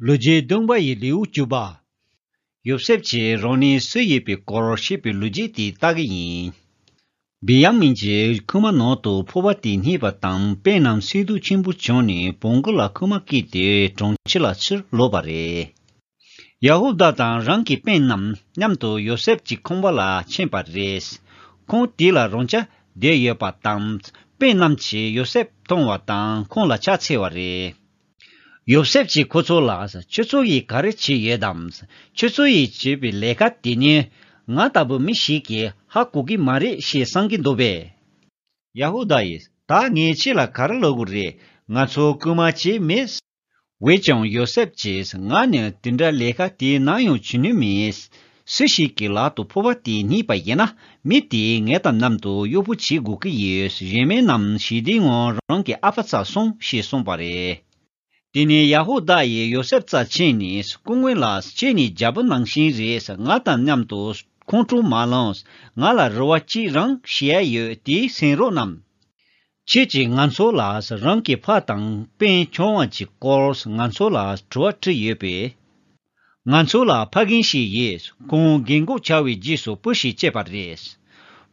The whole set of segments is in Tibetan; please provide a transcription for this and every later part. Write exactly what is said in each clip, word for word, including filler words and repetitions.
ལོ་རྒྱུས་བདུན་པ་ཡི་ལེའུ་བཅུ་པ། ཡོ་སེབ་ཀྱིས་རང་ཉིད་སུ་ཡིན་པའི་སྐོར་བཤད་པའི་ལོ་རྒྱུས་དེ་ལྟ་གི་ཡིན། བི་ཡ་མིན་གྱི་ཁུག་མ་ནང་དུ་ཕོར་པ་དེ་རྙེད་པ་དང་སྤུན་རྣམས་སེམས་སྡུག་ཆེན་པོ་བྱུང་ནས་བོང་གུ་ལ་ཁུག་མ་བཀལ་ཏེ་གྲོང་ཁྱེར་ལ་ཕྱིར་ལོག་པ་རེད། ཡ་ཧུ་དཱ་དང་རང་གི་སྤུན་རྣམས་མཉམ་དུ་ཡོ་སེབ་ཀྱི་ཁང་པ་ལ་ཕྱིན་པ་རེད། ཁང་དེ་ལ་རང་ཅག་བསྡད་ཡོད་པ་དང་སྤུན་རྣམས་ཀྱིས་ཡོ་སེབ་མཐོང་བ་དང་ཁོང་ལ་ཕྱག་འཚལ་བ་རེད། ཡོ་སེབ་ཀྱིས་ཁོ་ཚོ་ལ། ཁྱོད་ཚོ་ཡིས་ག་རེ་བྱས་ཡོད་དམ། ཁྱོད་ཚོ་ཡིས་བྱས་པའི་ལས་ཀ་དེ་ནི་ང་ལྟ་བུ་མི་ཞིག་གིས་ཧ་གོ་གི་མ་རེད་ཞེས་བསམ་གྱི་འདུག་པས། ཡ་ཧུ་དཱ་ཡིས་ད་ངས་ཁྱེད་ལ་ག་རེ་ལབ་དགོས་རེད། ང་ཚོ་རྐུན་མ་བྱས་མེད། འོན་ཀྱང་ཡོ་སེབ་ཀྱིས་ང་ནི་དེ་འདྲ་ལས་ཀ་དེ་ནམ་ཡང་བྱེད་ནུས་མེད། སུ་ཞིག་གི་ལག་ཏུ་ཕོར་པ་དེ་རྙེད་པ་ཡིན་ན་མི་དེས་ངེད་དང་མཉམ་དུ་གཡོག་པོ་བྱེད་དགོས་ཀྱི་ཡོད། གཞན་མི་རྣམས་ཞི་བདེའི་ངང་རང་གི་ཨ་ཕ་རྩར་སོང་ཞེས་གསུངས་པ་རེད། དེ་ནས་ཡ་ཧུ་དཱ་ཡིས་ཡོ་སེབ་རྩར་ཕྱིན་ནས་སྐུ་ངོ་ལགས། ཁྱེད་ནི་རྒྱལ་པོ་ནང་བཞིན་རེད། ང་དང་མཉམ་དུ་ཁོང་ཁྲོ་མ་ལངས། ང་ལ་རེ་བ་གཅིག་རང་ཞུ་ཡ་ཡོད། དེ་གསན་རོགས་གནང་། ཁྱེད་ཀྱིས་ང་ཚོ་ལ་རང་གི་ཕ་དང་སྤུན་ཆུང་བ་གཅིག་སྐོར་ང་ཚོ་ལ་དྲི་བ་དྲིས་ཡོད་པས། ང་ཚོ་ལ་ཕ་རྒན་ཞིག་ཡོད། ཁོང་རྒན་གོག་ཆགས་པའི་རྗེས་སུ་བུ་ཞིག་སྐྱེས་པ་རེད།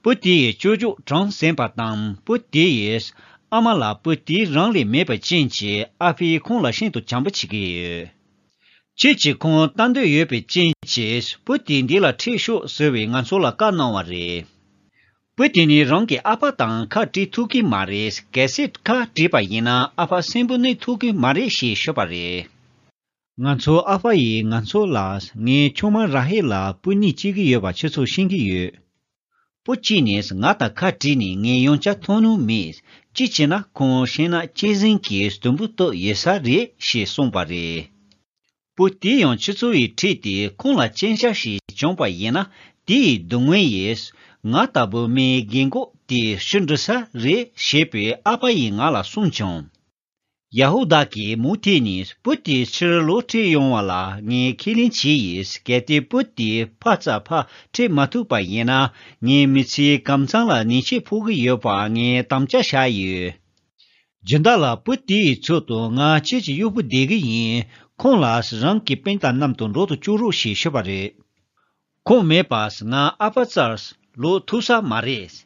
བུ་དེ་ཡི་ཅོ་ཅོག་གྲངས་ཟིན་པ་དང་བུ་དེ་ཡི་ཨ་མ་ལགས་བུ་དེ་རང་ལས་མེད་པ་ཅན་གྱི་ཨ་ཕས་ཁོང་ལ་ཤིན་ཏུ་བྱམས་པོ་བྱེད་ཀྱི་ཡོད། ཁྱེད་ཀྱིས་ཁོང་ལྟ་འདོད་ཡོད་པའི་རྐྱེན་གྱིས་བུ་དེ་འདི་ལ་ཁྲིད་ཤོག་ཟེར་བས་ང་ཚོ་ལ་བཀའ་གནང་བ་རེད། བུ་དེ་ནི་རང་གི་ཨ་ཕ་དང་ཁ་བྲལ་ཐུབ་ཀྱི་མ་རེད། གལ་སྲིད་ཁ་བྲལ་བ་ཡིན་ན་ཨ་ཕ་གསོན་པོ་གནས་ཐུབ་ཀྱི་མ་རེད་ཞེས་ཤོད་པ་རེད། ང་ཚོའི་ཨ་ཕ་ཡིས་ང་ཚོ་ལ་ངའི་ཆུང་མ་ར་ཧེལ་ལ་བུ་གཉིས་སྐྱེ་གི་ཡོད་པ་ཁྱེད་ཚོས་ཤེས་ཀྱི་ཡོད། བུ་གཅིག་ནས་ང་དང་ཁ་བྲལ་ནས་ངས་ཡང་བསྐྱར་མཐོང་མྱོང་མེད། གཅིག་བྱས་ན་ཁོང་ཤེས་ན་གཅན་གཟན་གྱིས་དུམ་བུ་གཏུབ་ཡོད་ས་རེད་ཞེས་གསུངས་པ་རེད། བུ་དེ་ཡང་ཁྱེད་ཚོ་ཡི་ཁྲིད་དེ་ཁོང་ལ་རྐྱེན་ཆག་ཞིག་བྱུང་བ་ཡིན་ན་དེ་ཡི་སྡུག་བསྔལ་ཡིས་ང་ལྟ་བུ་མིའི་རྒན་གོག་དེ་ཤི་འགྲོ་ས་རེད་ཞེས་པའི་ཨ་ཕ་ཡིས་ང་ལ་གསུངས་བྱུང་། ཡ་ཧུ་དཱ་གིས་མུ་མཐུད་ནས་བུ་དེ་ཕྱིར་ལོག་ཁྲིད་ཡོང་བ་ལ་ངས་ཁས་ལེན་བྱས་ཡིན། གལ་ཏེ་བུ་དེ་ཕ་རྩ་ཕར་ཁྲིད་མ་ཐུབ་པ་ཡིན་ན་ངའི་མི་ཚེའི་གམ་ཚང་ལ་ཉེས་ཆད་ཕོག་གི་ཡོད་པ་ངས་དམ་བཅའ་བཞག་ཡོད། སྦྱིན་བདག་ལགས། བུ་དེའི་ཚུལ་དུ་ང་ཁྱེད་ཀྱི་གཡོག་པོ་བསྡད་ཀྱི་ཡིན། ཁོང་ལ་རང་གི་སྤུན་དང་མཉམ་དུ་འགྲོ་དུ་བཅུག་རོགས་ཞེས་ཞུས་པ་རེད། ཁོང་མེད་པར་ང་ཨ་ཕ་རྩར་ལོག་ཐུབ་ས་མ་རེད།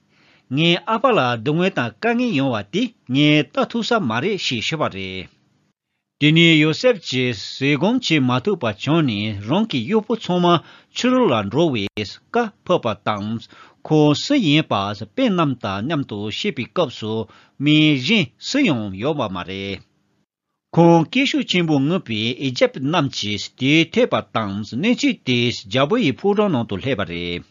ངའི་ཨ་ཕ་ལ་སྡུག་བསྔལ་དང་དཀའ་ངལ་ཡོང་བ་དེ་ངས་ལྟ་ཐུབ་ས་མ་རེད་ཞེས་ཞུས་པ་རེད། དེ་ནས་ཡོ་སེབ་ཀྱིས་བཟོད་སྒོམ་བྱེད་མ་ཐུབ་པ་བྱུང་ནས་རང་གི་གཡོག་པོ་ཚང་མ་ཕྱི་རོལ་ལ་འགྲོ་བའི་བཀའ་ཕབ་པ་དང་། ཁོ་སུ་ཡིན་པ་སྤུན་རྣམས་དང་མཉམ་དུ་བཤད་པའི་སྐབས་སུ་མི་གཞན་སུ་ཡང་ཡོད་པ་མ་རེད། ཁོང་སྐད་ཤུགས་ཆེན་པོས་ངུས་པས་ཨི་ཇིབ་རྣམས་ཀྱིས་དེ་ཐོས་པ་དང་གནས་ཚུལ་དེ་རྒྱལ་པོ་ཡི་ཕོ་བྲང་ནང་དུ་སླེབས་པ་རེད།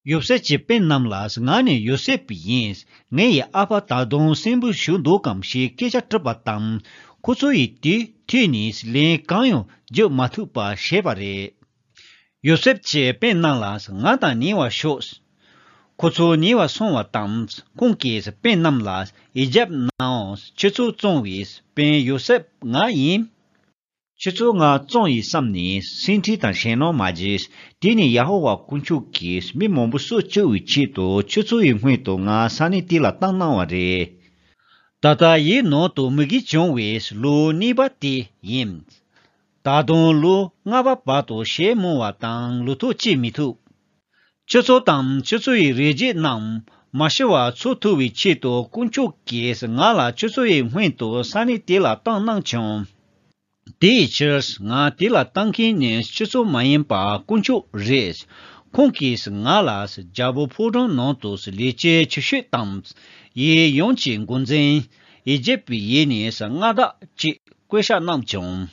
ཡོ་སེབ་ཀྱི་སྤུན་རྣམས་ལ། ང་ནི་ཡོ་སེབ་ཡིན། ངའི་ཨ་ཕ་ད་དུང་གསོན་པོ་བཞུགས་འདུག་གམ་ཞེས་སྐད་ཆ་དྲིས་པ་དང་། ཁོ་ཚོ་ཡིས་དེ་ཐོས་ནས་ལན་གང་ཡང་བརྒྱབ་མ་ཐུབ་པ་བྱས་པ་རེད། ཡོ་སེབ་ཀྱི་སྤུན་རྣམས་ལ། ང་དང་ཉེ་བར་ཞོག་ཁོ་ཚོ་ཉེ་བར་སོང་བ་དང་། ཁོང་གིས་སྤུན་རྣམས་ལ། ཨི་ཇིབ་ནང་ཁྱེད་ཚོ་བཙོང་བའི་སྤུན་ཡོ་སེབ་ང་ཡིན། ཁྱེད་ཚོ་ང་བཙོང་ཡིན་བསམ་ནས་སེམས་ཁྲལ་དང་ཞེད་སྣང་མ་བྱེད། དེ་ནི་ཡ་ཧོ་ཝཱ་དཀོན་མཆོག་གིས་མི་མང་པོ་གསོད་བཅུག་པའི་ཆེད་དུ་ཁྱེད་ཚོ་ཡི་སྔོན་དུ་ང་ས་གནས་དེ་ལ་བཏང་གནང་བ་རེད། ད་ལྟ་ཡིད་ནང་དུ་མུ་གེ་བྱུང་བའི་ལོ་གཉིས་པ་དེ་ཡིན། ད་དུང་ལོ་ལྔ་པ་བར་དུ་ཞེ་མང་བ་དང་ལུས་ཐོག་སྐྱེ་མི་ཐུབ། ཁྱེད་ཚོ་དང་ཁྱེད་ཚོ་ཡི་རིགས་རྒྱུད་རྣམས་མ་ཤི་བར་འཚོ་ཐུབ་པའི་ཆེད་དུ་དཀོན་མཆོག་གིས་ང་ལ་ཁྱེད་ཚོ་ཡི་སྔོན་དུ་ས་གནས་དེ་ལ་བཏང་གནང་བྱུང་། དེའི་ཕྱིར་ང་དེ་ལ་བཏང་མཁན་ནི་ཁྱེད་ཚོ་མ་ཡིན་པར་དཀོན་མཆོག་རེད། ཁོང་གིས་ང་ལ་རྒྱལ་པོ་ཕོ་བྲང་ནང་དུ་ལས་བྱེད་ཆེ་ཤོས་དང་། ཡུལ་ཡོངས་ཀྱི་འགོ་འཛིན། ཨི་ཇིབ་ཡུལ་ནས་མངའ་བདག་ཅིག་བསྐོ་བཞག་གནང་བྱུང་།